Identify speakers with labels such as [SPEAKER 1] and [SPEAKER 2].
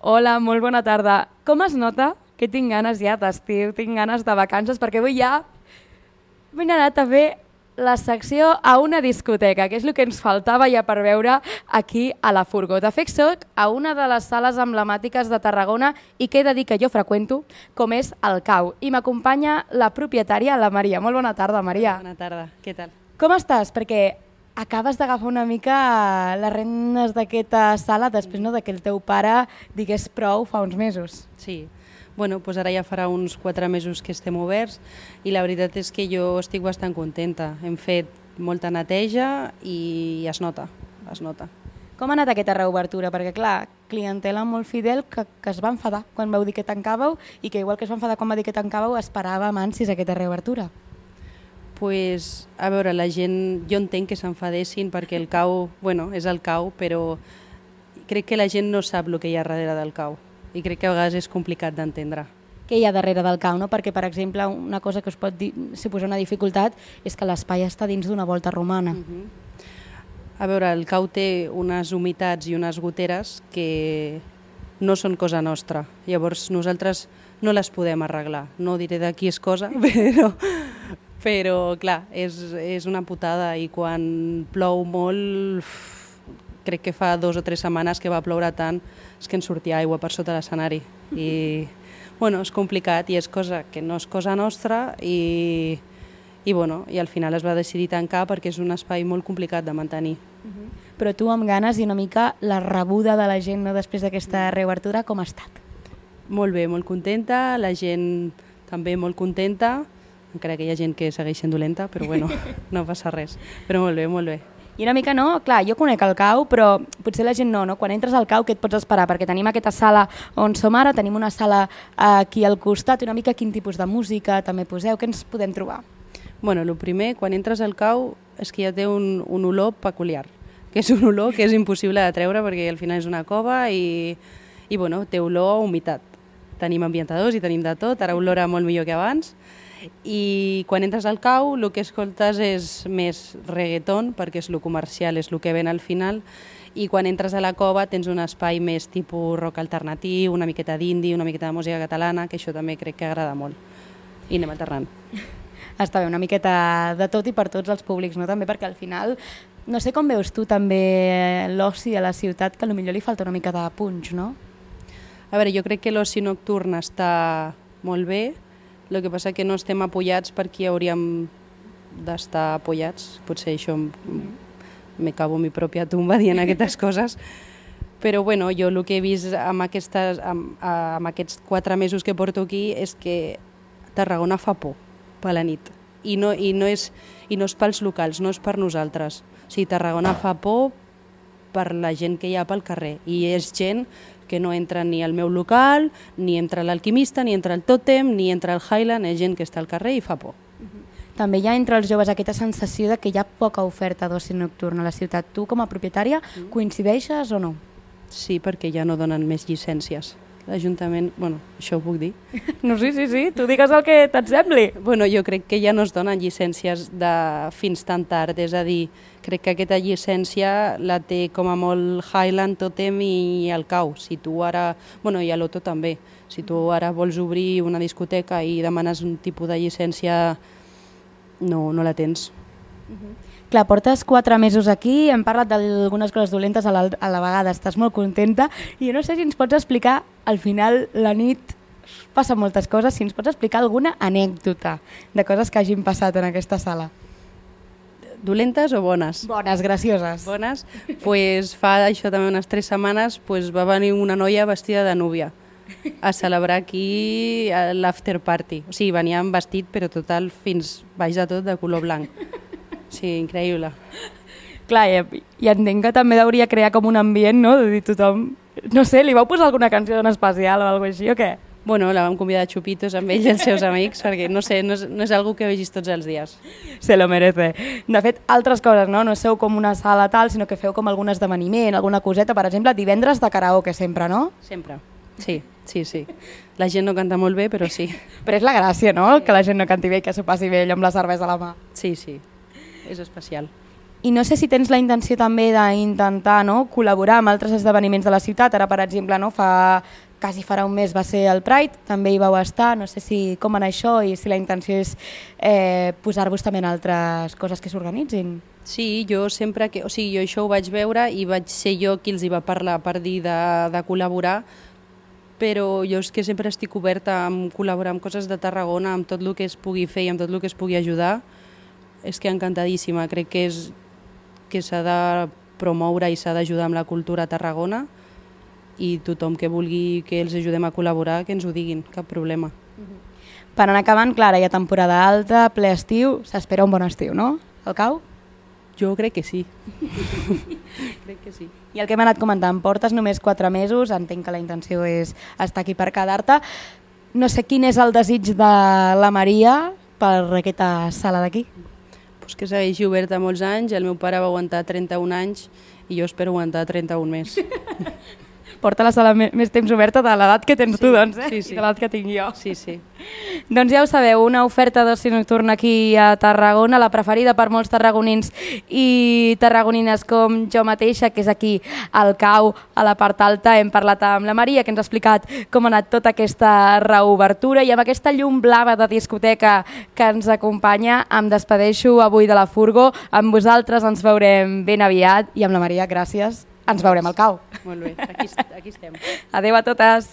[SPEAKER 1] Hola, molt bona tarda. Com es nota que tinc ganes ja d'estiu, tinc ganes de vacances, perquè avui ja m'he anat a fer la secció a una discoteca, que és el que ens faltava ja per veure aquí a la furgó. De fet, soc a una de les sales emblemàtiques de Tarragona i que he de dir que jo freqüento, com és el Cau. I m'acompanya la propietària, la Maria. Molt bona tarda, Maria.
[SPEAKER 2] Bona tarda, què tal?
[SPEAKER 1] Com estàs? Perquè acabes d'agafar una mica les rendes d'aquesta sala després no, que el teu pare digués prou fa uns mesos.
[SPEAKER 2] Sí, bueno, doncs ara ja farà uns 4 mesos que estem oberts i la veritat és que jo estic bastant contenta. Hem fet molta neteja i es nota, es nota.
[SPEAKER 1] Com ha anat aquesta reobertura? Perquè, clar, clientela molt fidel que es va enfadar quan vau dir que tancàveu i que igual que es va enfadar quan va dir que tancàveu esperava amb ànsies aquesta reobertura.
[SPEAKER 2] Pues, a veure, la gent, jo entenc que s'enfadessin perquè el Cau, bueno, és el Cau, però crec que la gent no sap el que hi ha darrere del Cau i crec que a vegades és complicat d'entendre.
[SPEAKER 1] Què hi ha darrere del Cau? No? Perquè, per exemple, una cosa que us pot suposar una dificultat és que l'espai està dins d'una volta romana.
[SPEAKER 2] A veure, el Cau té unes humitats i unes goteres que no són cosa nostra. Llavors nosaltres no les podem arreglar. No diré de qui és cosa, però clar, és una putada i quan plou molt, crec que fa 2 o 3 setmanes que va ploure tant, és que ens sortia aigua per sota l'escenari. I bueno, és complicat i és cosa que no és cosa nostra i al final es va decidir tancar perquè és un espai molt complicat de mantenir.
[SPEAKER 1] Però tu amb ganes i una mica la rebuda de la gent no, després d'aquesta reobertura, com ha estat?
[SPEAKER 2] Molt bé, molt contenta, la gent també molt contenta, encara que hi ha gent que segueix sent dolenta, però bueno, no passa res. Però molt bé, molt bé.
[SPEAKER 1] I una mica no, clar, jo conec el Cau, però potser la gent no. Quan entres al Cau, què et pots esperar? Perquè tenim aquesta sala on som ara, tenim una sala aquí al costat, una mica quin tipus de música també poseu, què ens podem trobar?
[SPEAKER 2] Bueno, el primer, quan entres al Cau, és que ja té un olor peculiar, que és un olor que és impossible de treure perquè al final és una cova i bueno, té olor a humitat. Tenim ambientadors i tenim de tot, ara olora molt millor que abans. I quan entres al Cau el que escoltes és més reggaeton perquè és el comercial, és el que ven al final, i quan entres a la cova tens un espai més tipus rock alternatiu, una miqueta d'indie, una miqueta de música catalana, que això també crec que agrada molt i anem alternant.
[SPEAKER 1] Està bé, una miqueta de tot i per tots els públics, no? També perquè al final, no sé com veus tu també l'oci a la ciutat, que potser li falta una mica de punx, no?
[SPEAKER 2] A veure, jo crec que l'oci nocturn està molt bé, el que passa que no estem apoyats per qui hauríem d'estar apoyats. Potser això me cavo en mi pròpia tumba dient aquestes coses. Però bueno, jo el que he vist amb aquests 4 mesos que porto aquí és que Tarragona fa por per la nit. I no és pels locals, no és per nosaltres. O sigui, Tarragona fa por per la gent que hi ha pel carrer. I és gent que no entra ni al meu local, ni entra l'Alquimista, ni entra el Tòtem, ni entra el Highland, és gent que està al carrer i fa por.
[SPEAKER 1] També hi ha entre els joves aquesta sensació de que hi ha poca oferta d'oci nocturn a la ciutat. Tu, com a propietària, coincideixes o no?
[SPEAKER 2] Sí, perquè ja no donen més llicències. L'Ajuntament, bueno, això ho puc dir?
[SPEAKER 1] No, sí, tu digues el que te't sembli.
[SPEAKER 2] Bueno, jo crec que ja no es donen llicències de fins tan tard, és a dir, crec que aquesta llicència la té com a molt Highland, Tòtem i el Cau. Si tu ara, bueno, i a l'Oto també, si tu ara vols obrir una discoteca i demanes un tipus de llicència, no la tens.
[SPEAKER 1] Clar, portes 4 mesos aquí, hem parlat d'algunes coses dolentes a la vegada, estàs molt contenta i jo no sé si ens pots explicar, al final la nit passen moltes coses, si ens pots explicar alguna anècdota de coses que hagin passat en aquesta sala.
[SPEAKER 2] Dolentes o bones?
[SPEAKER 1] Bones, gracioses.
[SPEAKER 2] Bones? Pues fa això també unes 3 setmanes pues va venir una noia vestida de núvia a celebrar aquí l'after party. O sigui, venia amb vestit però total fins baix de tot de color blanc. Sí, increïble.
[SPEAKER 1] Clar, i entenc que també hauria crear com un ambient, no? De dir tothom... No sé, li vau posar alguna canció en especial o alguna cosa així o què?
[SPEAKER 2] Bueno, la vam convidar a xupitos amb ell i els seus amics, perquè no sé, no és algo que vegis tots els dies.
[SPEAKER 1] Se lo merece. De fet, altres coses, no? No sou com una sala tal, sinó que feu com algun esdeveniment, alguna coseta, per exemple, divendres de karaoke sempre, no?
[SPEAKER 2] Sempre, sí. La gent no canta molt bé, però sí.
[SPEAKER 1] Però és la gràcia, no? Que la gent no canti bé i que s'ho passi bé amb la cervesa a la mà.
[SPEAKER 2] Sí, és especial.
[SPEAKER 1] I no sé si tens la intenció també d'intentar col·laborar amb altres esdeveniments de la ciutat. Ara, per exemple, quasi farà un mes va ser el Pride, també hi vau estar. No sé com anar això i si la intenció és posar-vos també en altres coses que s'organitzin.
[SPEAKER 2] Sí, jo sempre que... O sigui, jo això ho vaig veure i vaig ser jo qui els hi va parlar per dir de col·laborar, però jo és que sempre estic oberta a col·laborar amb coses de Tarragona, amb tot el que es pugui fer i amb tot el que es pugui ajudar. És que encantadíssima, crec que s'ha de promoure i s'ha d'ajudar amb la cultura a Tarragona i tothom que vulgui que els ajudem a col·laborar, que ens ho diguin, cap problema.
[SPEAKER 1] Per anar acabant, clar, hi ha temporada alta, ple estiu, s'espera un bon estiu, no? El cau?
[SPEAKER 2] Jo crec que sí. Crec que sí.
[SPEAKER 1] I el que hem anat comentant, portes només 4 mesos, entenc que la intenció és estar aquí per quedar-te. No sé quin és el desig de la Maria per aquesta sala d'aquí.
[SPEAKER 2] Pues que segueixi oberta molts anys, el meu pare va aguantar 31 anys i jo espero aguantar 31 més.
[SPEAKER 1] Porta la sala més temps oberta de l'edat que tens tu, doncs,
[SPEAKER 2] sí.
[SPEAKER 1] I de l'edat que tinc jo.
[SPEAKER 2] Sí, sí.
[SPEAKER 1] Doncs ja ho sabeu, una oferta d'oci nocturn aquí a Tarragona, la preferida per molts tarragonins i tarragonines com jo mateixa, que és aquí al Cau, a la part alta. Hem parlat amb la Maria, que ens ha explicat com ha anat tota aquesta reobertura, i amb aquesta llum blava de discoteca que ens acompanya em despedeixo avui de la Furgo. Amb vosaltres ens veurem ben aviat i amb la Maria, gràcies. Ens veurem al Cau.
[SPEAKER 2] Molt bé, aquí estem.
[SPEAKER 1] Adéu a totes.